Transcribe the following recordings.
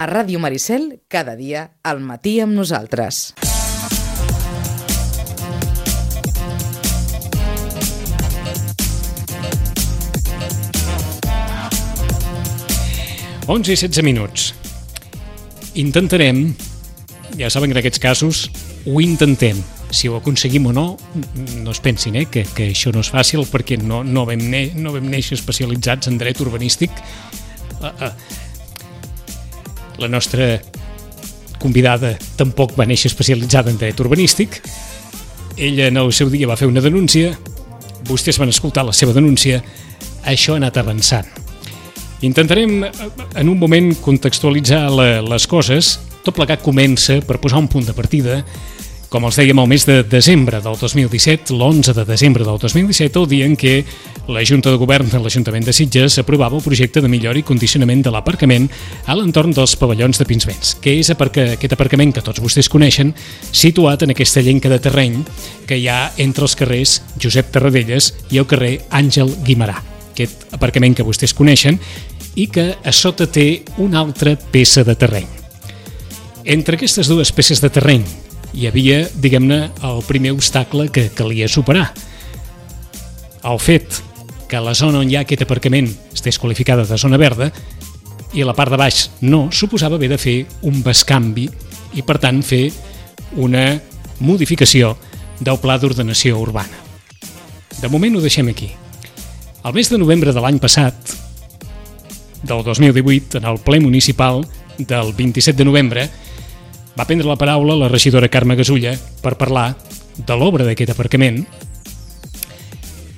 A Ràdio Maricel, cada dia, al matí amb nosaltres. Onze i 16 minuts. Intentarem, ja saben que en aquests casos ho intentem. Si ho aconseguim o no, no es pensin que això no és fàcil, perquè no vam néixer especialitzats en dret urbanístic. La nostra convidada tampoc va néixer especialitzada en dret urbanístic. Ella en el seu dia va fer una denúncia, vostès van escoltar la seva denúncia, això ha anat avançant. Intentarem en un moment contextualitzar les coses. Tot plegat comença per posar un punt de partida, com els dèiem, el mes de desembre del 2017, l'11 de desembre del 2017, el dia en què la Junta de Govern de l'Ajuntament de Sitges aprovava el projecte de millora i condicionament de l'aparcament a l'entorn dels pavellons de Pinsbens, que és aquest aparcament que tots vostès coneixen, situat en aquesta llenca de terreny que hi ha entre els carrers Josep Tarradellas i el carrer Àngel Guimerà. Aquest aparcament que vostès coneixen i que a sota té una altra peça de terreny. Entre aquestes dues peces de terreny hi havia, diguem-ne, el primer obstacle que calia superar. El fet que la zona on hi ha aquest aparcament estés qualificada de zona verda i la part de baix no, suposava haver de fer un bescanvi i, per tant, fer una modificació del Pla d'Ordenació Urbana. De moment ho deixem aquí. El mes de novembre de l'any passat, del 2018, en el ple municipal del 27 de novembre, va prendre la paraula la regidora Carme Gasulla per parlar de l'obra d'aquest aparcament.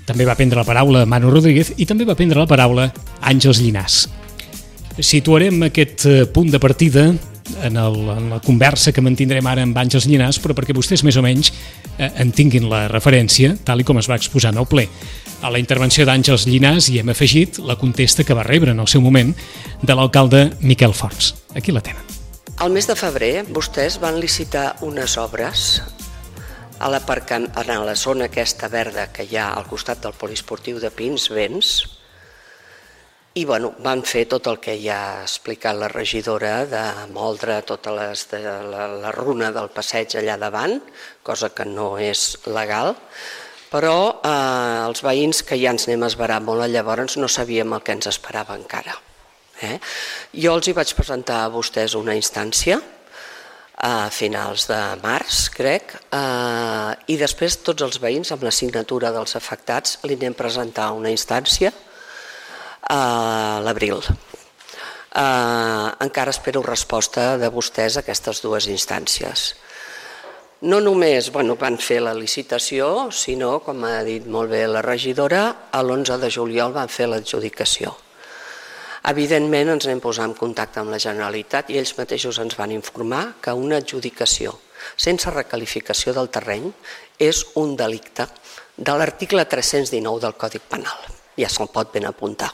També va prendre la paraula Manu Rodríguez i també va prendre la paraula Àngels Llinàs. Situarem aquest punt de partida en la conversa que mantindrem ara amb Àngels Llinàs, però perquè vostès més o menys en tinguin la referència, tal com es va exposar en el ple. A la intervenció d'Àngels Llinàs hi hem afegit la contesta que va rebre en el seu moment de l'alcalde Miquel Fons. Aquí la tenen. Al mes de febrer vostès van licitar unes obres a la zona aquesta verda que hi ha al costat del poliesportiu de Pinsbens i van fer tot el que ja ha explicat la regidora de moldre tota la runa del passeig allà davant, cosa que no és legal, però els veïns que ja ens anem a esverar molt, llavors no sabíem el que ens esperava encara. Jo els hi vaig presentar a vostès una instància a finals de març, crec, i després tots els veïns, amb la signatura dels afectats, li anem a presentar una instància a l'abril. Encara espero resposta de vostès a aquestes dues instàncies. No només van fer la licitació, sinó, com ha dit molt bé la regidora, l'11 de juliol van fer l'adjudicació. Evidentment ens anem a posar en contacte amb la Generalitat i ells mateixos ens van informar que una adjudicació sense recalificació del terreny és un delicte de l'article 319 del Codi Penal. Ja se'l pot ben apuntar.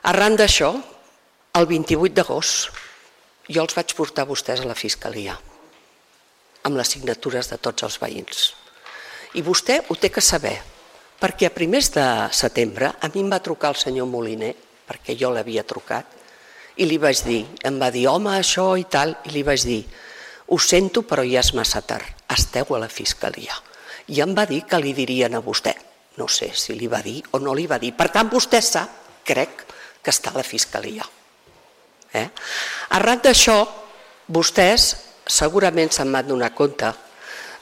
Arran d'això, el 28 d'agost, jo els vaig portar a vostès a la Fiscalia amb les signatures de tots els veïns. I vostè ho té que saber, perquè a primers de setembre a mi em va trucar el senyor Moliner, perquè jo l'havia trucat, i li vaig dir, em va dir, home, això i tal, i li vaig dir, ho sento, però ja és massa tard, esteu a la Fiscalia. I em va dir que li dirien a vostè. No sé si li va dir o no li va dir. Per tant, vostè sap, crec, que està a la Fiscalia. Arran d'això, vostès segurament se'n van donar compte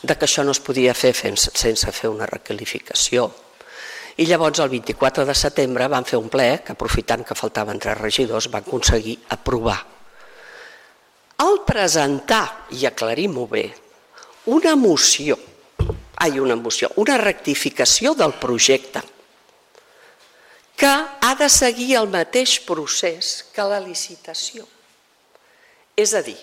que això no es podia fer sense fer una requalificació. I llavors, el 24 de setembre, van fer un ple que, aprofitant que faltaven 3 regidors, van aconseguir aprovar. Al presentar, i aclarim-ho bé, una rectificació del projecte que ha de seguir el mateix procés que la licitació. És a dir,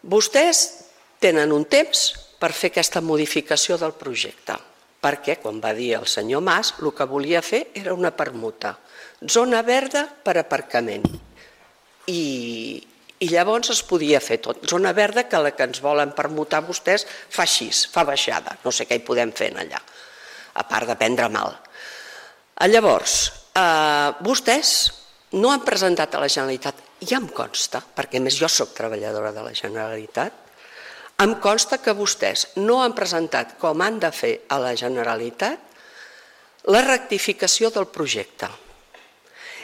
vostès tenen un temps per fer aquesta modificació del projecte, perquè, quan va dir el senyor Mas, el que volia fer era una permuta. Zona verda per aparcament. I llavors es podia fer tot. Zona verda que la que ens volen permutar vostès fa així, fa baixada. No sé què hi podem fer allà, a part de prendre mal. Llavors, vostès no han presentat a la Generalitat ja em consta, perquè a més jo soc treballadora de la Generalitat, em consta que vostès no han presentat com han de fer a la Generalitat la rectificació del projecte.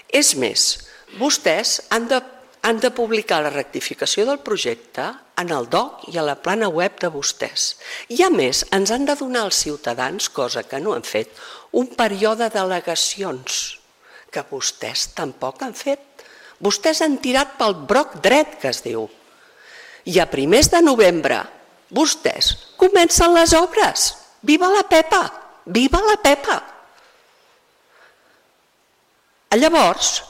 És més, vostès han de publicar la rectificació del projecte en el DOC i a la plana web de vostès. I a més, ens han de donar als ciutadans, cosa que no han fet, un període d'al·legacions, que vostès tampoc han fet. Vostès han tirat pel broc dret, que es diu. I a primers de novembre, vostès comencen les obres. Viva la Pepa! Viva la Pepa! Llavors,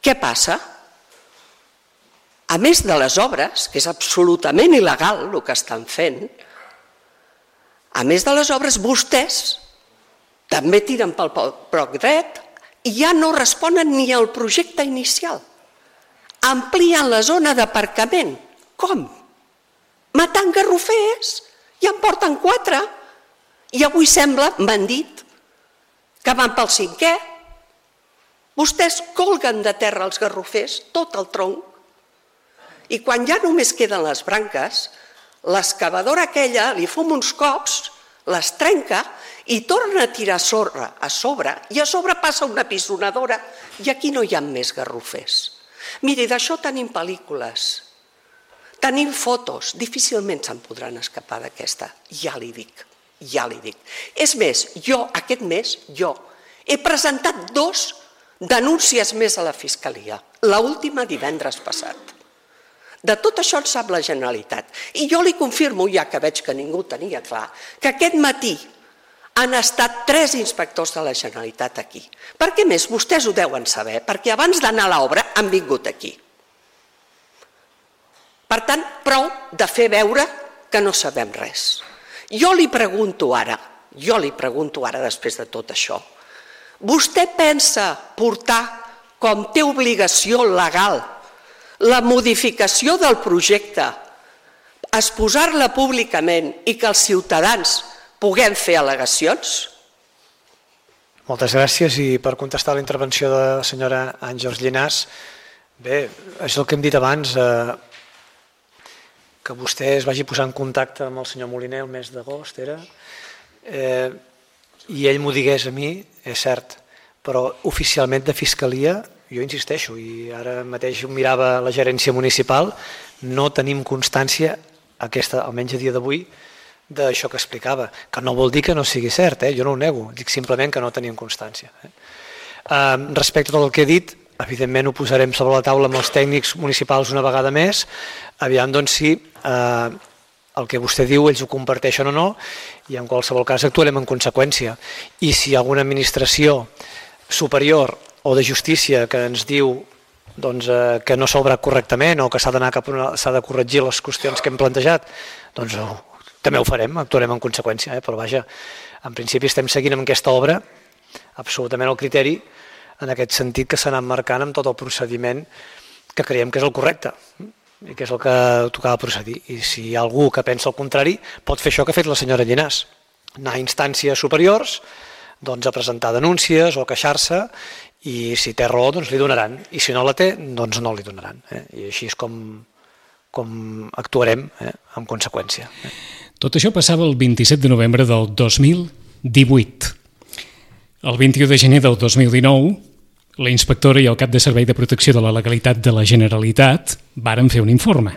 què passa? A més de les obres, que és absolutament il·legal el que estan fent, a més de les obres, vostès també tiren pel broc dret i ja no responen ni al projecte inicial. Amplien la zona d'aparcament. Com? Matant garrofers. Ja en porten 4. I avui sembla, m'han dit, que van pel 5è. Vostès colguen de terra els garrofers, tot el tronc, i quan ja només queden les branques, l'excavadora aquella li fuma uns cops, les trenca i torna a tirar sorra a sobre, i a sobre passa una pisonadora i aquí no hi ha més garrofers. Miri, d'això tenim pel·lícules, tenim fotos, difícilment se'n podran escapar d'aquesta, ja li dic. És més, jo aquest mes, he presentat 2 denúncies més a la Fiscalia, l'última divendres passat. De tot això en sap la Generalitat. I jo li confirmo, ja que veig que ningú tenia clar, que aquest matí han estat 3 inspectors de la Generalitat aquí. Per què més? Vostès ho deuen saber, perquè abans d'anar a l'obra han vingut aquí. Per tant, prou de fer veure que no sabem res. Jo li pregunto ara, després de tot això, vostè pensa portar, com té obligació legal, la modificació del projecte, exposar-la públicament i que els ciutadans puguem fer al·legacions? Moltes gràcies. I per contestar la intervenció de la senyora Àngels Llinàs, bé, és el que hem dit abans, que vostè es vagi posar en contacte amb el senyor Moliner el mes d'agost, i ell m'ho digués a mi, és cert, però oficialment de Fiscalia, jo insisteixo, i ara mateix ho mirava la gerència municipal, no tenim constància, almenys a dia d'avui, d'això que explicava, que no vol dir que no sigui cert, jo no ho nego, dic simplement que no tenim constància. Respecte a tot el que he dit, evidentment ho posarem sobre la taula amb els tècnics municipals una vegada més, aviam doncs si el que vostè diu ells ho comparteixen o no, i en qualsevol cas actuarem en conseqüència. I si alguna administració superior o de justícia que ens diu que no s'ha obrat correctament o que s'ha de corregir les qüestions que hem plantejat, doncs també ho farem, actuarem en conseqüència, però vaja, en principi estem seguint amb aquesta obra absolutament al criteri, en aquest sentit que s'ha anat marcant amb tot el procediment que creiem que és el correcte i que és el que tocava procedir. I si hi ha algú que pensa el contrari, pot fer això que ha fet la senyora Llinàs, anar a instàncies superiors, a presentar denúncies o queixar-se, i si té raó doncs li donaran, i si no la té doncs no li donaran, i així és com actuarem en conseqüència. Tot això passava el 27 de novembre del 2018. El 21 de gener del 2019, la inspectora i el cap de Servei de Protecció de la Legalitat de la Generalitat varen fer un informe.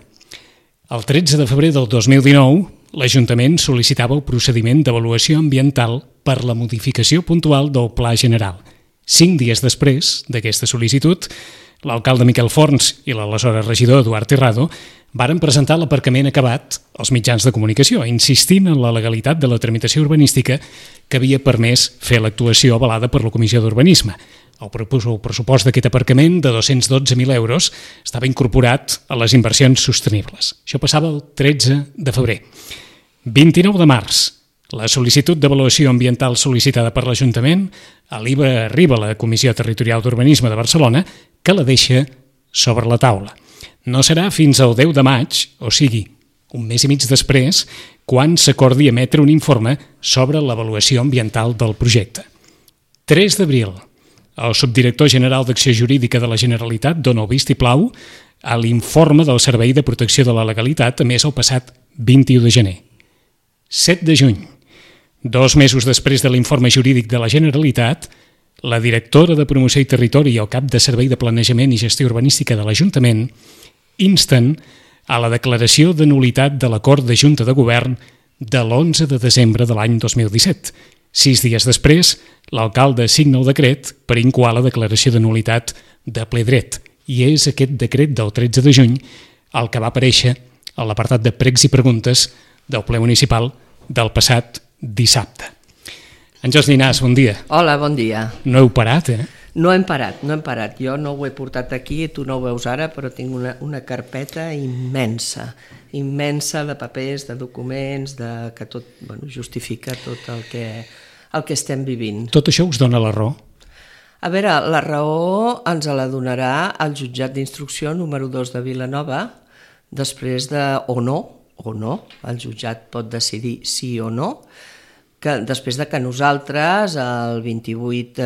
El 13 de febrer del 2019, l'Ajuntament sol·licitava el procediment d'avaluació ambiental per la modificació puntual del Pla General. 5 dies després d'aquesta sol·licitud, l'alcalde Miquel Forns i l'aleshores regidor Eduard Terrado varen presentar l'aparcament acabat als mitjans de comunicació, insistint en la legalitat de la tramitació urbanística que havia permès fer l'actuació avalada per la Comissió d'Urbanisme. El pressupost d'aquest aparcament de 212.000 euros estava incorporat a les inversions sostenibles. Això passava el 13 de febrer. 29 de març, la sol·licitud d'avaluació ambiental sol·licitada per l'Ajuntament arriba a la Comissió Territorial d'Urbanisme de Barcelona, que la deixa sobre la taula. No serà fins al 10 de maig, o sigui, un mes i mig després, quan s'acordi emetre un informe sobre l'avaluació ambiental del projecte. 3 d'abril, el subdirector general d'Acció Jurídica de la Generalitat dona el vistiplau a l'informe del Servei de Protecció de la Legalitat emès el passat 21 de gener. 7 de juny, 2 mesos després de l'informe jurídic de la Generalitat, la directora de Promoció i Territori i el cap de Servei de Planejament i Gestió Urbanística de l'Ajuntament insten a la declaració de nul·litat de l'acord de Junta de Govern de l'11 de desembre de l'any 2017. 6 dies després, l'alcalde signa el decret per incoar la declaració de nul·litat de ple dret. I és aquest decret del 13 de juny el que va aparèixer a l'apartat de pregs i preguntes del ple municipal del passat dissabte. Àngels Llinàs, bon dia. Hola, bon dia. No heu parat, eh? No hem parat. Jo no ho he portat aquí, tu no ho veus ara, però tinc una carpeta immensa de papers, de documents, que tot justifica tot el que estem vivint. Tot això us dona la raó? A veure, la raó ens la donarà el jutjat d'instrucció número 2 de Vilanova, després de o no, el jutjat pot decidir sí o no, després de que nosaltres, el 28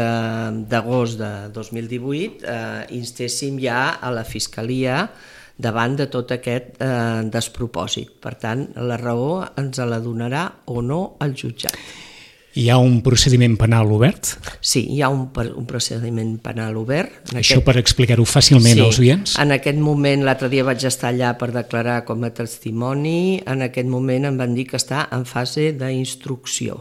d'agost de 2018, instéssim ja a la Fiscalia davant de tot aquest despropòsit. Per tant, la raó ens la donarà o no el jutjat. Hi ha un procediment penal obert? Sí, hi ha un procediment penal obert. Això per explicar-ho fàcilment als oients? Sí, en aquest moment, l'altre dia vaig estar allà per declarar com a testimoni, en aquest moment em van dir que està en fase d'instrucció.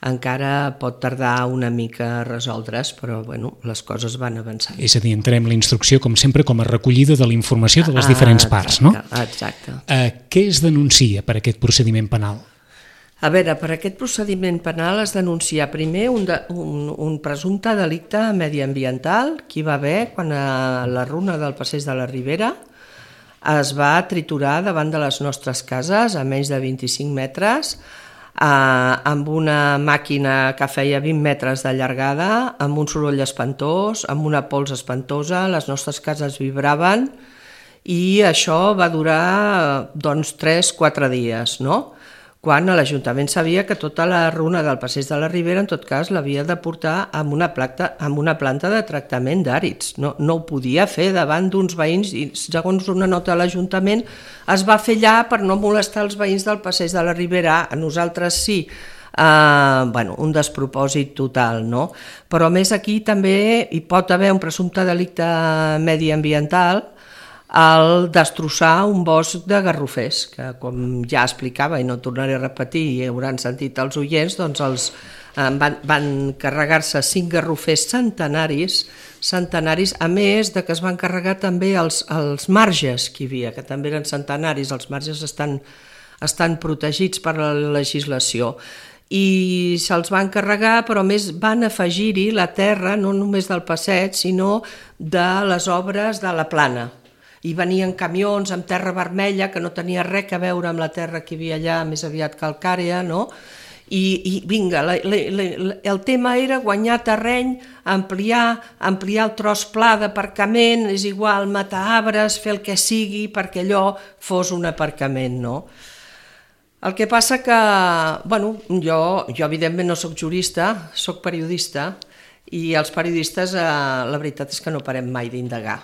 Encara pot tardar una mica a resoldre's, però les coses van avançant. És a dir, entrem la instrucció, com sempre, com a recollida de la informació de les diferents parts, no? Exacte. Què es denuncia per aquest procediment penal? A veure, per aquest procediment penal es denuncia primer un presumpte delicte mediambiental que hi va haver quan a la runa del Passeig de la Ribera es va triturar davant de les nostres cases a menys de 25 metres amb una màquina que feia 20 metres de llargada, amb un soroll espantós, amb una pols espantosa, les nostres cases vibraven i això va durar 3-4 dies, no? Quan l'Ajuntament sabia que tota la runa del Passeig de la Ribera, en tot cas, l'havia de portar amb una planta de tractament d'àrids. No ho podia fer davant d'uns veïns i, segons una nota de l'Ajuntament, es va fer allà per no molestar els veïns del Passeig de la Ribera. A nosaltres sí. Un despropòsit total, no? Però a més aquí també hi pot haver un presumpte delicte mediambiental al destrossar un bosc de garrofers, que com ja explicava i no tornaré a repetir i hauran sentit els oients, doncs van carregar-se 5 garrofers centenaris, a més de que es van carregar també els marges que hi havia, que també eren centenaris, els marges estan protegits per la legislació. I se'ls van carregar, però a més van afegir-hi la terra, no només del passeig, sinó de les obres de la plana. I venien camions amb terra vermella que no tenia res a veure amb la terra que hi havia allà, més aviat calcària, no? I vinga, el tema era guanyar terreny, ampliar el tros pla d'aparcament, és igual, matar arbres, fer el que sigui perquè allò fos un aparcament, no? El que passa que, jo evidentment no soc jurista, soc periodista, i els periodistes la veritat és que no parem mai d'indagar,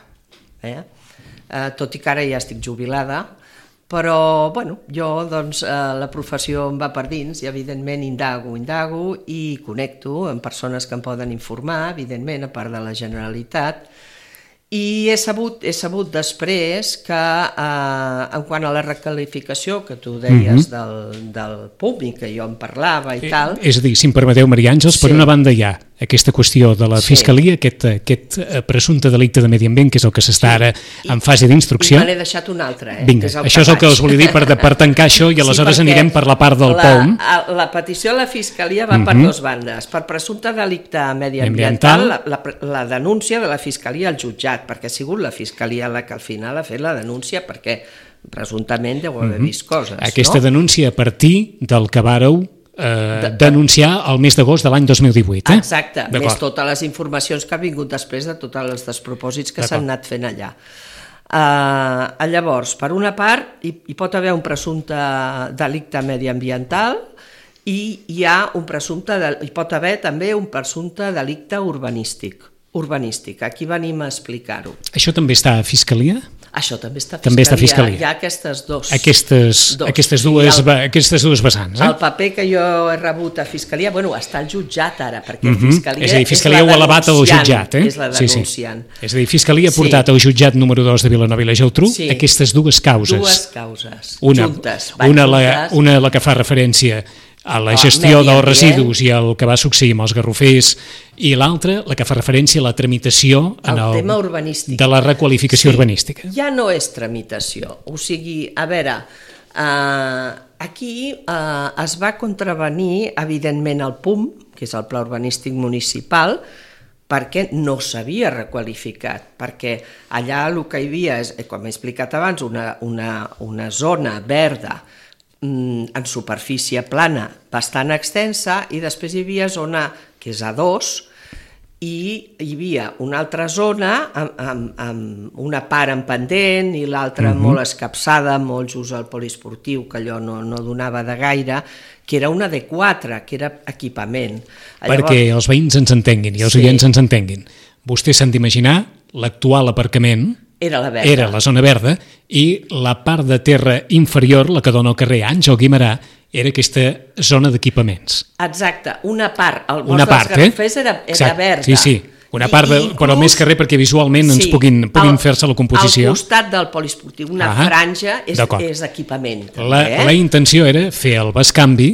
tot i que ara ja estic jubilada, però jo la professió em va per dins i evidentment indago i connecto amb persones que em poden informar, evidentment a part de la Generalitat, i he sabut després que en quant a la recalificació que tu deies del públic, que jo en parlava i tal... És a dir, si em permeteu, Maria Àngels, per una banda hi ha aquesta qüestió de la Fiscalia, aquest presumpte delicte de medi ambient, que és el que s'està ara en fase d'instrucció. I me n'he deixat un altre. Vinga, això és el que us volia dir per tancar això i aleshores anirem per la part del POUM. La petició a la Fiscalia va per dues bandes. Per presumpte delicte mediambiental, la denúncia de la Fiscalia al jutjat, perquè ha sigut la Fiscalia la que al final ha fet la denúncia perquè presumptament deu haver vist coses. Aquesta denúncia a partir del que vàreu denunciar el mes d'agost de l'any 2018. Exacte, més totes les informacions que han vingut després de tots els despropòsits que s'han anat fent allà. Llavors, per una part, hi pot haver un presumpte delicte mediambiental i hi pot haver també un presumpte delicte urbanístic. urbanística. Aquí venim a explicar-ho. Això també està a Fiscalia? Això també està a Fiscalia. També està a Fiscalia. Hi ha aquestes dues vessants. El paper que jo he rebut a Fiscalia, està al jutjat ara, perquè Fiscalia és a dir, Fiscalia ho ha elevat al jutjat. És la denunciant. És a dir, Fiscalia ha portat al jutjat número 2 de Vilanova i la Geltrú aquestes dues causes. Dues causes, juntes. Una la que fa referència a la gestió dels residus i el que va succeir amb els garrofers, i l'altra, la que fa referència a la tramitació el tema urbanístic. De la requalificació urbanística. Ja no és tramitació, o sigui, a veure, aquí es va contravenir, evidentment, el PUM, que és el Pla Urbanístic Municipal, perquè no s'havia requalificat, perquè allà el que hi havia, com he explicat abans, una zona verda, en superfície plana bastant extensa, i després hi havia zona que és A2 i hi havia una altra zona amb una part en pendent i l'altra molt escapçada, molt just al poliesportiu, que allò no donava de gaire, que era una D4, que era equipament. Perquè els veïns ens entenguin i els oients ens entenguin. Vostès s'han d'imaginar l'actual aparcament era la zona verda, i la part de terra inferior, la que dona al carrer Àngel Guimerà, era aquesta zona d'equipaments. Exacte, una part. El bosc dels garrofers era verda. Sí. Una part, però més que res perquè visualment ens puguin fer-se la composició. Al costat del poliesportiu, una franja és equipament. La intenció era fer el bescanvi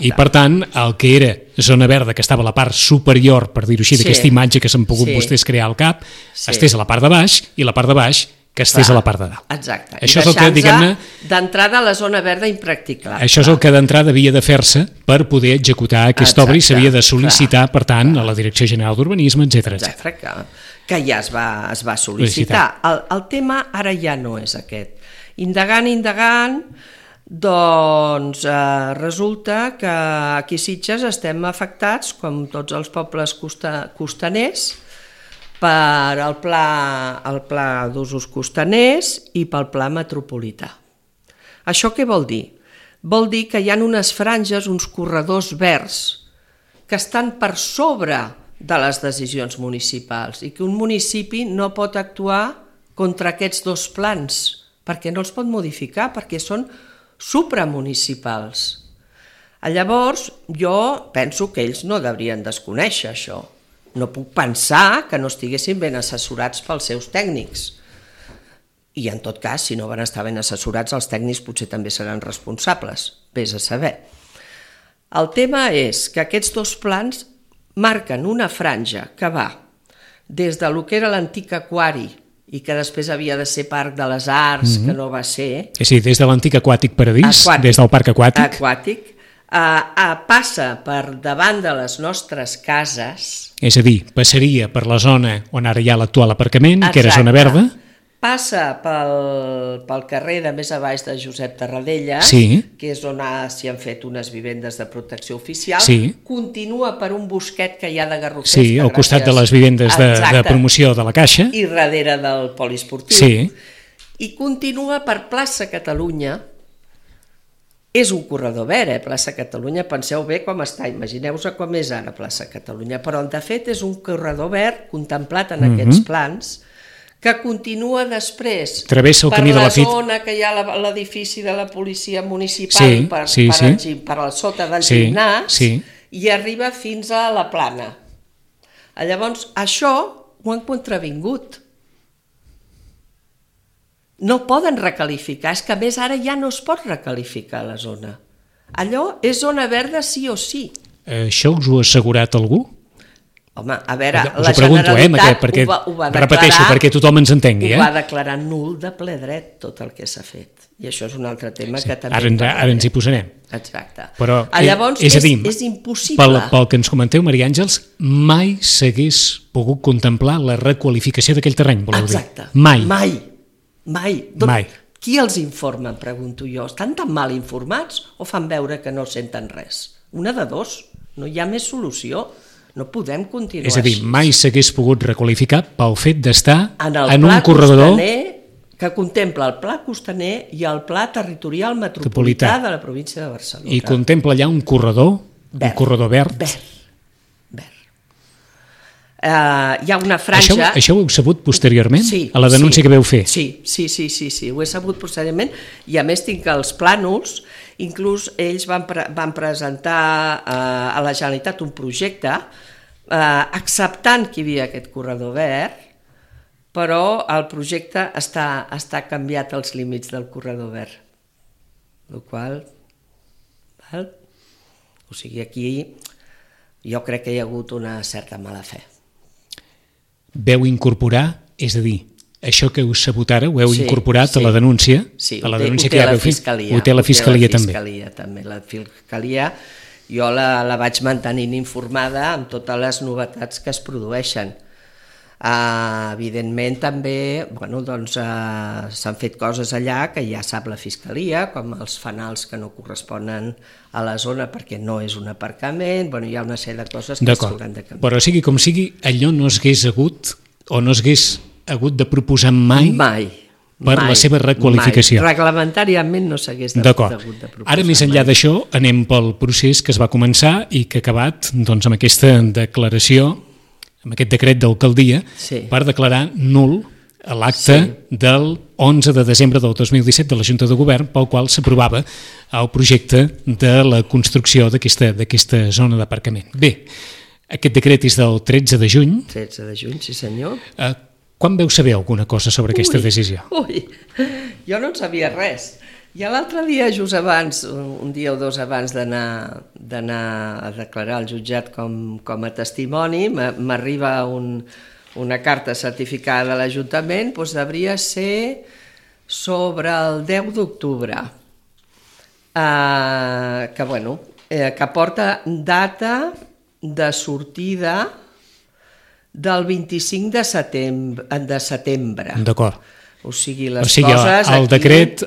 i, per tant, el que era zona verda, que estava a la part superior, per dir-ho així, d'aquesta imatge que s'han pogut vostès crear al cap, estés a la part de baix, i la part de baix que estés a la part de dalt. Exacte. Això és el que, diguem-ne, d'entrada a la zona verda impracticable. Això és el que d'entrada havia de fer-se per poder executar aquesta obra, i s'havia de sol·licitar, per tant, a la Direcció General d'Urbanisme, etc. Que ja es va sol·licitar. El tema ara ja no és aquest. Indagant, doncs resulta que aquí a Sitges estem afectats, com tots els pobles costaners, per el pla d'usos costaners i pel pla metropolità. Això què vol dir? Vol dir que hi ha unes franges, uns corredors verds, que estan per sobre de les decisions municipals i que un municipi no pot actuar contra aquests dos plans, perquè no els pot modificar, perquè són supramunicipals. Llavors, jo penso que ells no deurien desconèixer això. No puc pensar que no estiguessin ben assessorats pels seus tècnics. I en tot cas, si no van estar ben assessorats, els tècnics potser també seran responsables. Vés a saber. El tema és que aquests dos plans marquen una franja que va des de lo que era l'antic aquari i que després havia de ser Parc de les Arts, que no va ser. Sí, des de l'antic aquàtic Paradís, des del parc aquàtic. Passa per davant de les nostres cases. És a dir, passaria per la zona on ara hi ha l'actual aparcament, que era zona verda. Passa pel carrer de més a baix de Josep Tarradellas, que és on s'hi han fet unes vivendes de protecció oficial. Continua per un bosquet que hi ha de garrofers. Sí, al costat de les vivendes de promoció de la Caixa. I darrere del poliesportiu. I continua per plaça Catalunya. És un corredor verd, plaça Catalunya, penseu bé com està, imagineu-vos com és ara plaça Catalunya, però de fet és un corredor verd contemplat en aquests plans que continua després per la zona que hi ha l'edifici de la policia municipal per sota del gimnàs i arriba fins a la plana. Llavors això ho han contravingut. No poden recalificar, és que a més ara ja no es pot recalificar la zona. Allò és zona verda sí o sí. Això us ho ha assegurat algú? Home, a veure, la Generalitat ho va declarar... Repeteixo, perquè tothom ens entengui. Ho va declarar nul de ple dret tot el que s'ha fet. I això és un altre tema que també... Ara ens hi posarem. Exacte. Però, llavors, és impossible. Pel que ens comenteu, Maria Àngels, mai s'hagués pogut contemplar la requalificació d'aquell terreny, voleu dir? Exacte. Mai. Qui els informa, em pregunto jo? Estan tan mal informats o fan veure que no senten res? Una de dos, no hi ha més solució, no podem continuar així. És a dir, mai s'hagués pogut requalificar pel fet d'estar en un corredor que contempla el Pla Costaner i el Pla Territorial Metropolità de la província de Barcelona. I contempla allà un corredor verd. hi ha una franja... Això ho heu sabut posteriorment? Sí, a la denúncia que veu fer? Sí, ho he sabut posteriorment, i a més tinc els plànols, inclús ells van presentar a la Generalitat un projecte acceptant que hi havia aquest corredor verd, però el projecte està canviat als límits del corredor verd. O sigui, aquí jo crec que hi ha hagut una certa mala fe. Veu incorporar, és a dir, això que heu sabut ara ho heu incorporat a la denúncia? Sí, a la ho denúncia té que la veu Fiscalia. Ho té la Fiscalia també. La Fiscalia jo la vaig mantenint informada amb totes les novetats que es produeixen. Evidentment també s'han fet coses allà que ja sap la Fiscalia, com els fanals que no corresponen a la zona perquè no és un aparcament, hi ha una sèrie de coses que s'hauran de canviar. Però sigui com sigui, allò no s'hagués hagut o no s'hagués hagut de proposar mai per la seva requalificació. Mai. Reglamentàriament no s'hagués hagut de proposar. Ara, més enllà d'això, anem pel procés que es va començar i que ha acabat amb aquesta declaració, amb aquest decret d'alcaldia, per declarar nul l'acte del 11 de desembre del 2017 de la Junta de Govern, pel qual s'aprovava el projecte de la construcció d'aquesta zona d'aparcament. Bé, aquest decret és del 13 de juny. 13 de juny, sí senyor. Quan veu saber alguna cosa sobre aquesta decisió? Jo no en sabia res. Ja l'altre dia, just abans, un dia o dos abans d'anar a declarar al jutjat com a testimoni, m'arriba una carta certificada de l'Ajuntament, devia ser sobre el 10 d'octubre, que porta data de sortida del 25 de setembre. D'acord. O sigui, coses... El decret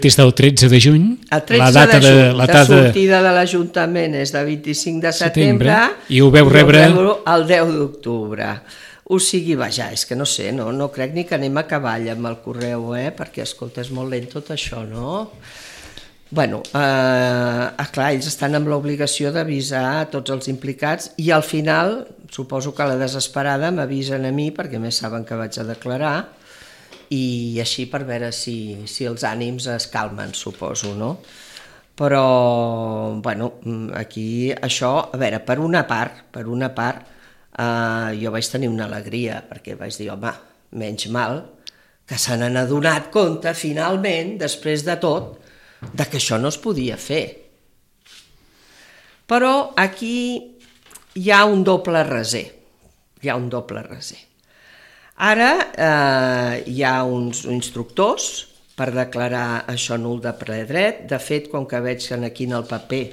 és del 13 de juny. El 13 de juny, la sortida de l'Ajuntament és del 25 de setembre i ho veu rebre el 10 d'octubre. O sigui, vaja, és que no sé, no crec ni que anem a cavall amb el correu, perquè, escolta, és molt lent tot això, no? Clar, ells estan amb l'obligació d'avisar tots els implicats i al final, suposo que a la desesperada m'avisen a mi, perquè més saben que vaig a declarar, i així per veure si els ànims es calmen, suposo, no? Però, aquí això, a veure, per una part, jo vaig tenir una alegria, perquè vaig dir, home, menys mal que se n'han adonat compte, finalment, després de tot, de que això no es podia fer. Però aquí hi ha un doble raser. Ara hi ha uns instructors per declarar això nul de ple dret. De fet, com que veig aquí en el paper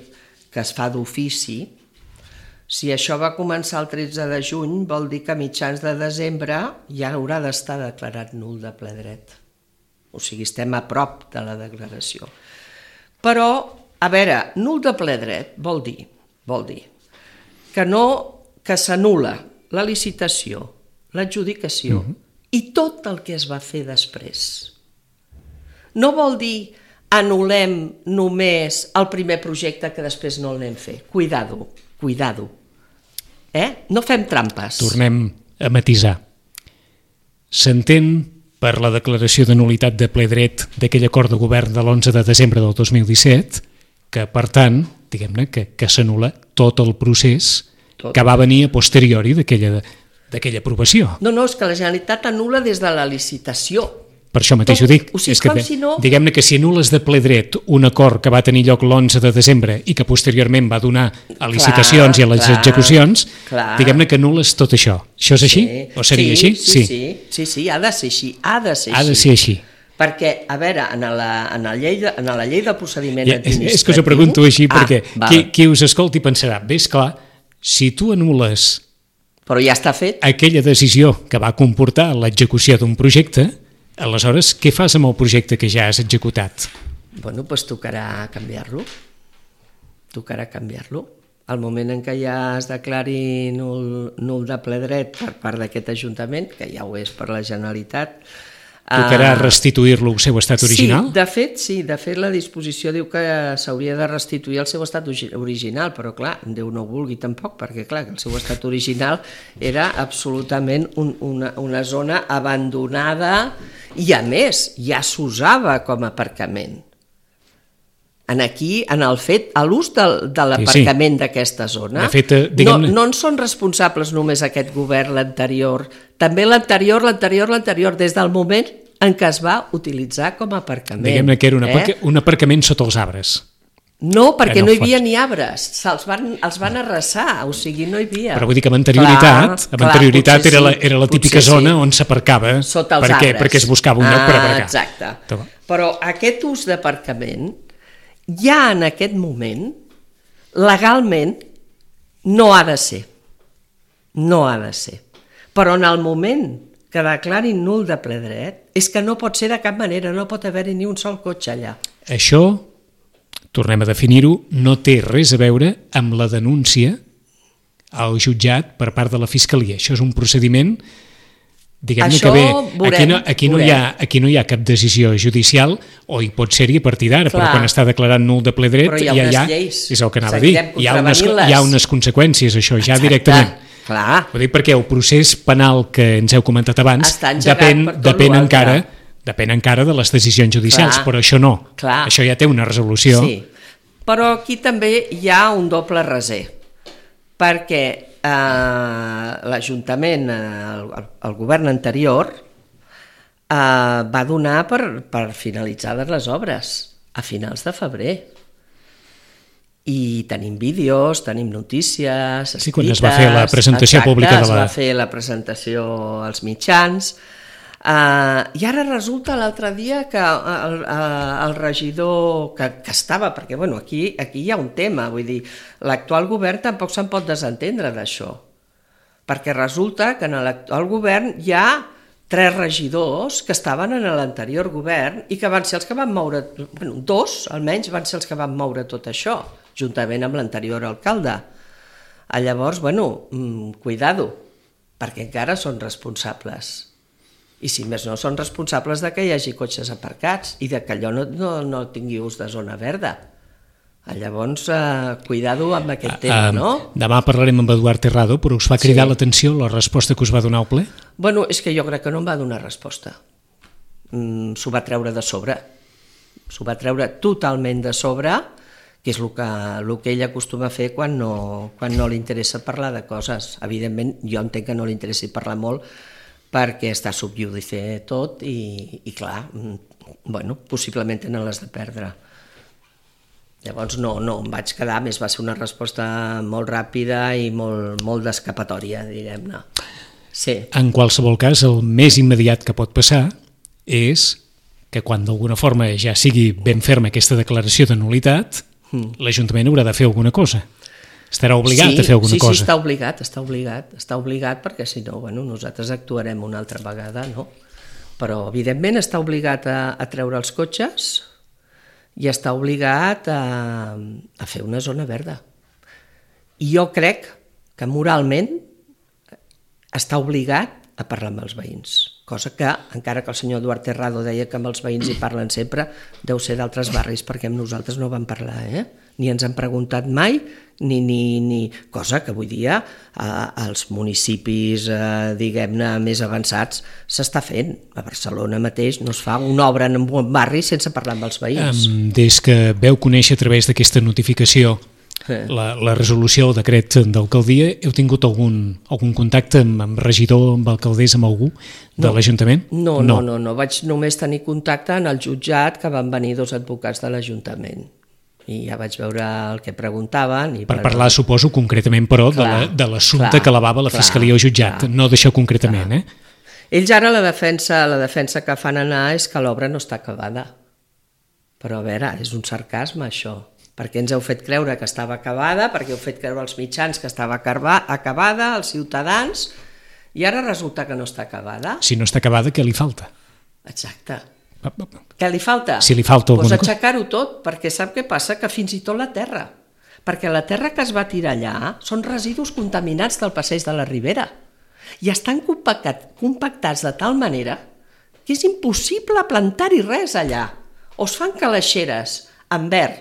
que es fa d'ofici, si això va començar el 13 de juny, vol dir que a mitjans de desembre ja haurà d'estar declarat nul de ple dret. O sigui, estem a prop de la declaració. Però, a veure, nul de ple dret vol dir que s'anul·la la licitació, l'adjudicació i tot el que es va fer després. No vol dir anul·lem només el primer projecte que després no l'anem a fer. Cuidado. No fem trampes. Tornem a matisar. S'entén per la declaració de nul·litat de ple dret d'aquell acord de govern de l'11 de desembre del 2017 que, per tant, diguem-ne que s'anul·la tot el procés que va venir a posteriori d'aquella aprovació. No, és que la Generalitat anul·la des de la licitació. Per això mateix ho dic. Diguem-ne que si anules de ple dret un acord que va tenir lloc l'11 de desembre i que posteriorment va donar a licitacions i a les execucions, diguem-ne que anules tot això. Això és així? O seria així? Sí, ha de ser així. Ha de ser així. Perquè, a veure, en la llei de procediment administratiu... És que us ho pregunto així perquè qui us escolti pensarà, bé, esclar, si tu anules però ja està fet aquella decisió que va comportar l'execució d'un projecte, aleshores, què fas amb el projecte que ja has executat? Doncs tocarà canviar-lo. Al moment en què ja es declari nul de ple dret per part d'aquest Ajuntament, que ja ho és per la Generalitat, Tocarà restituir-lo al seu estat original? Sí, de fet la disposició diu que s'hauria de restituir al seu estat original, però clar, Déu no ho vulgui tampoc, perquè clar, el seu estat original era absolutament una zona abandonada i a més ja s'usava com a aparcament. Aquí, en el fet, a l'ús de l'aparcament d'aquesta zona, de fet, no en són responsables només aquest govern, l'anterior, també l'anterior, des del moment en què es va utilitzar com a aparcament. Diguem-ne que era un aparcament sota els arbres. No, perquè no hi havia ni arbres, els van arrasar, o sigui, no hi havia. Però vull dir que amb anterioritat era la típica zona on s'aparcava, sota els arbres. Perquè es buscava un lloc per aparcar. Exacte. Però aquest ús d'aparcament ja en aquest moment, legalment, no ha de ser. No ha de ser. Però en el moment que declarin nul de ple dret, és que no pot ser de cap manera, no pot haver-hi ni un sol cotxe allà. Això, tornem a definir-ho, no té res a veure amb la denúncia al jutjat per part de la Fiscalia. Això és un procediment, diguem-ne que bé, aquí no hi ha cap decisió judicial, o hi pot ser-hi a partir d'ara, però quan està declarant nul de ple dret, ja és el que anava a dir. Hi ha unes conseqüències, això, ja directament. Clar. Ho dic perquè el procés penal que ens heu comentat abans depèn encara de les decisions judicials, però això no. Això ja té una resolució. Sí, però aquí també hi ha un doble raser, perquè l'Ajuntament, el govern anterior, va donar per finalitzades les obres a finals de febrer. I tenim vídeos, tenim notícies escrites... Sí, quan es va fer la presentació pública de la... es va fer la presentació als mitjans. I ara resulta l'altre dia que el regidor que estava... Perquè aquí hi ha un tema, vull dir, l'actual govern tampoc se'n pot desentendre d'això. Perquè resulta que en l'actual govern hi ha 3 regidors que estaven en l'anterior govern i que van ser els que van moure... 2, almenys, van ser els que van moure tot això, juntament amb l'anterior alcalde. Llavors, cuidado, perquè encara són responsables. I si més no, són responsables de que hi hagi cotxes aparcats i de que allò no tingui ús de zona verda. Llavors, cuidado amb aquest tema, no? Demà parlarem amb Eduard Terrado, però us va cridar l'atenció la resposta que us va donar al ple? És que jo crec que no em va donar resposta. S'ho va treure de sobre. S'ho va treure totalment de sobre, que és el que ell acostuma a fer quan no li interessa parlar de coses. Evidentment, jo entenc que no li interessi parlar molt perquè està sub judice tot i clar, possiblement tenen les de perdre. Llavors no em vaig quedar, més va ser una resposta molt ràpida i molt d'escapatòria, diguem-ne. Sí. En qualsevol cas, el més immediat que pot passar és que quan d'alguna forma ja sigui ben ferma aquesta declaració de nul·litat, l'Ajuntament haurà de fer alguna cosa. Estarà obligat a fer alguna cosa. Sí, està obligat perquè si no, nosaltres actuarem una altra vegada, no? Però evidentment està obligat a treure els cotxes i està obligat a fer una zona verda. I jo crec que moralment està obligat a parlar amb els veïns, cosa que, encara que el senyor Eduard Terrado deia que amb els veïns hi parlen sempre, deu ser d'altres barris, perquè amb nosaltres no van parlar, ni ens han preguntat mai, ni cosa que avui dia als municipis, diguem-ne, més avançats s'està fent. A Barcelona mateix no es fa una obra en un barri sense parlar amb els veïns. Des que veu conèixer a través d'aquesta notificació la resolució o decret d'alcaldia, heu tingut algun contacte amb regidor, amb alcaldessa, amb algú de l'Ajuntament? No, vaig només tenir contacte en el jutjat, que van venir 2 advocats de l'Ajuntament i ja vaig veure el que preguntaven. Per parlar, suposo, concretament, però, de l'assumpte que elevava la Fiscalia al jutjat, no d'això concretament, Ells ara la defensa que fan anar és que l'obra no està acabada. Però a veure, és un sarcasme això. Perquè ens heu fet creure que estava acabada, perquè heu fet creure als mitjans que estava acabada, als ciutadans, i ara resulta que no està acabada. Si no està acabada, què li falta? Exacte. Què li falta? Si li falta alguna cosa. Doncs aixecar-ho tot, perquè sap què passa? Que fins i tot la terra. Perquè la terra que es va tirar allà són residus contaminats del passeig de la Ribera i estan compactats de tal manera que és impossible plantar-hi res allà. O es fan calaixeres en verd,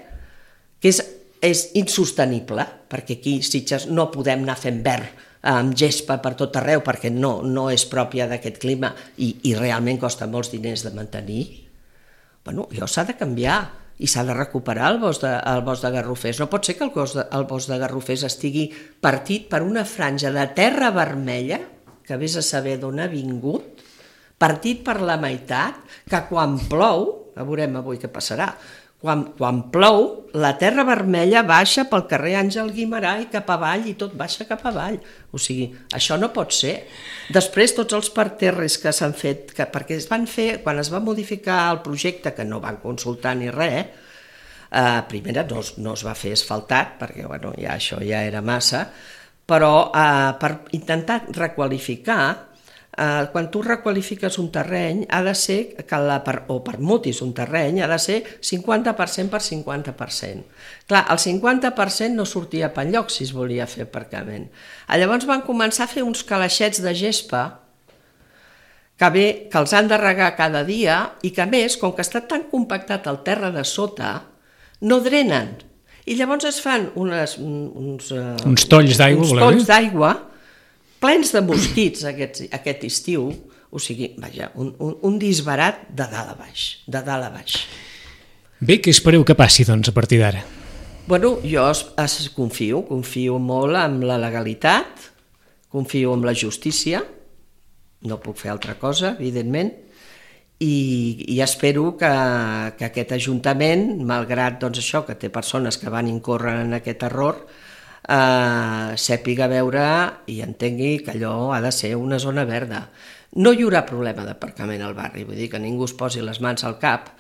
que és insostenible, perquè aquí a Sitges no podem anar fent verd amb gespa per tot arreu, perquè no és pròpia d'aquest clima i realment costa molts diners de mantenir. Bueno, allò s'ha de canviar i s'ha de recuperar el bosc de Garrofers. No pot ser que el bosc de Garrofers estigui partit per una franja de terra vermella, que vés a saber d'on ha vingut, partit per la meitat, que quan plou, ja veurem avui què passarà, quan plou, la terra vermella baixa pel carrer Àngel Guimerà i cap avall, i tot baixa cap avall. O sigui, això no pot ser. Després, tots els parterres que s'han fet, perquè es van fer, quan es va modificar el projecte, que no van consultar ni res, primera no es va fer asfaltat, perquè bueno, això ja era massa, però per intentar requalificar, quan tu requalifiques un terreny, ha de ser, o permutis un terreny, ha de ser 50% per 50%. Clar, el 50% no sortia per enlloc si es volia fer aparcament. Llavors van començar a fer uns calaixets de gespa que els han de regar cada dia i que a més, com que està tan compactat el terra de sota, no drenen. I llavors es fan uns tolls d'aigua plens de mosquits aquest estiu, o sigui, vaja, un disbarat de dalt a baix. Bé, què espereu que passi, doncs, a partir d'ara? Bueno, jo confio molt en la legalitat, confio en la justícia, no puc fer altra cosa, evidentment, i espero que aquest Ajuntament, malgrat doncs, això, que té persones que van incórrer en aquest error, sàpiga veure i entengui que allò ha de ser una zona verda. No hi haurà problema d'aparcament al barri, vull dir que ningú es posi les mans al cap,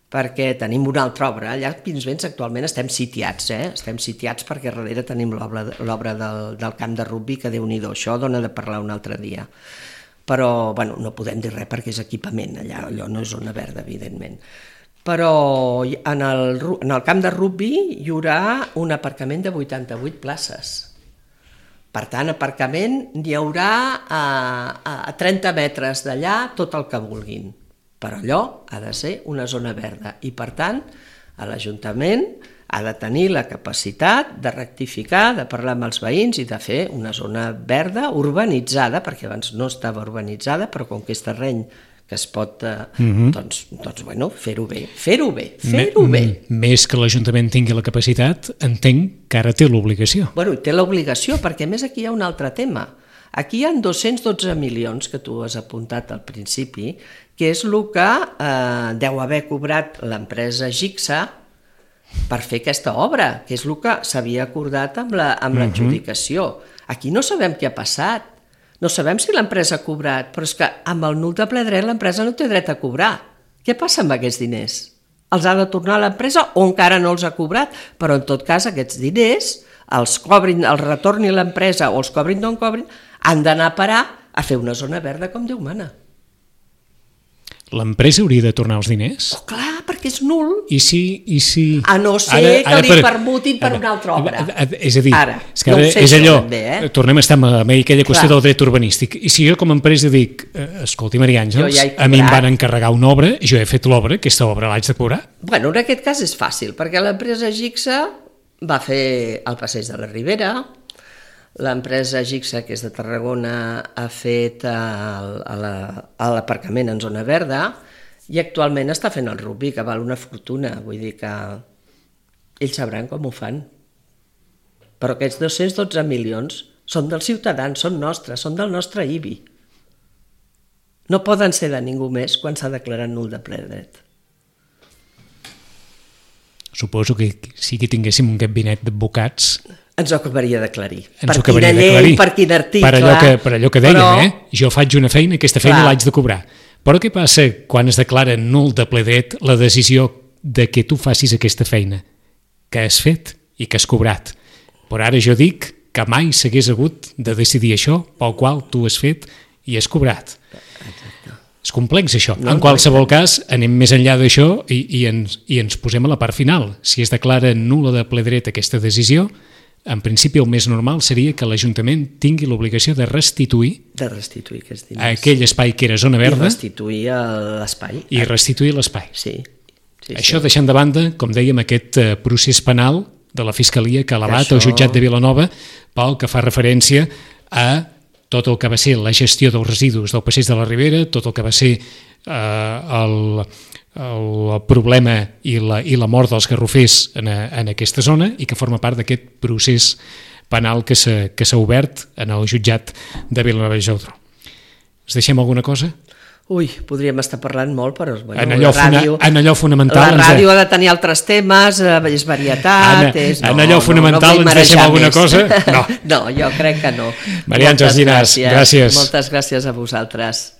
perquè tenim una altra obra. Allà a Pinsbens actualment estem sitiats, estem sitiats perquè darrere tenim l'obra del camp de rugbi, que Déu-n'hi-do, això dona de parlar un altre dia. Però bueno, no podem dir res perquè és equipament, allò no és zona verda, evidentment. Però en el camp de rugbi hi haurà un aparcament de 88 places. Per tant, aparcament n'hi haurà a 30 metres d'allà tot el que vulguin. Però allò ha de ser una zona verda i, per tant, l'Ajuntament ha de tenir la capacitat de rectificar, de parlar amb els veïns i de fer una zona verda urbanitzada, perquè abans no estava urbanitzada, però com que és terreny que es pot, doncs bueno, fer-ho bé. Més que l'Ajuntament tingui la capacitat, entenc que ara té l'obligació. Bueno, té l'obligació, perquè a més aquí hi ha un altre tema. Aquí hi ha 212 milions que tu has apuntat al principi, que és el que deu haver cobrat l'empresa Gixa per fer aquesta obra, que és el que s'havia acordat amb l'adjudicació. Aquí no sabem què ha passat. No sabem si l'empresa ha cobrat, però és que amb el nul de ple dret l'empresa no té dret a cobrar. Què passa amb aquests diners? Els ha de tornar a l'empresa o encara no els ha cobrat? Però en tot cas aquests diners els retorni l'empresa o els cobrin d'on cobrin, han d'anar a parar a fer una zona verda com Déu mana. L'empresa hauria de tornar els diners? Oh, clar, perquè és nul. I si... A no ser que li permutin per una altra obra. És a dir, és allò, tornem a estar amb aquella qüestió del dret urbanístic. I si jo com a empresa dic, escolti, Maria Àngels, a mi em van encarregar una obra, jo he fet l'obra, aquesta obra l'haig de cobrar? Bueno, en aquest cas és fàcil, perquè l'empresa Gixa va fer el passeig de la Ribera, l'empresa Gixa, que és de Tarragona, ha fet l'aparcament en zona verda i actualment està fent el rugbi, que val una fortuna. Vull dir que ells sabran com ho fan. Però aquests 212 milions són dels ciutadans, són nostres, són del nostre IBI. No poden ser de ningú més quan s'ha declarat nul de ple dret. Suposo que si tinguéssim un gabinet d'advocats... Ens ho acabaria d'aclarir. Per quina llei, per quin article... Per allò que dèiem, jo faig una feina, aquesta feina l'haig de cobrar. Però què passa quan es declara nul de ple dret la decisió de que tu facis aquesta feina que has fet i que has cobrat? Però ara jo dic que mai s'hagués hagut de decidir això pel qual tu has fet i has cobrat. És complex això. En qualsevol cas, anem més enllà d'això i ens posem a la part final. Si es declara nul·la de ple dret aquesta decisió, en principi el més normal seria que l'Ajuntament tingui l'obligació de restituir aquests diners. aquell espai que era zona verda I restituir l'espai. i restituir l'espai. Sí. Això deixant de banda, com dèiem, aquest procés penal de la Fiscalia que ha elevat el jutjat de Vilanova pel que fa referència a tot el que va ser la gestió dels residus del passeig de la Ribera, tot el que va ser el problema i la mort dels garrofers en aquesta zona i que forma part d'aquest procés penal que s'ha obert en el jutjat de Vilanova i Geltrú. Us deixem alguna cosa? Ui, podríem estar parlant molt, però en allò fonamental... La ràdio ha de tenir altres temes, és varietat... En allò fonamental ens deixem alguna cosa? No. No, jo crec que no. Maria Àngels Llinàs, gràcies. Moltes gràcies a vosaltres.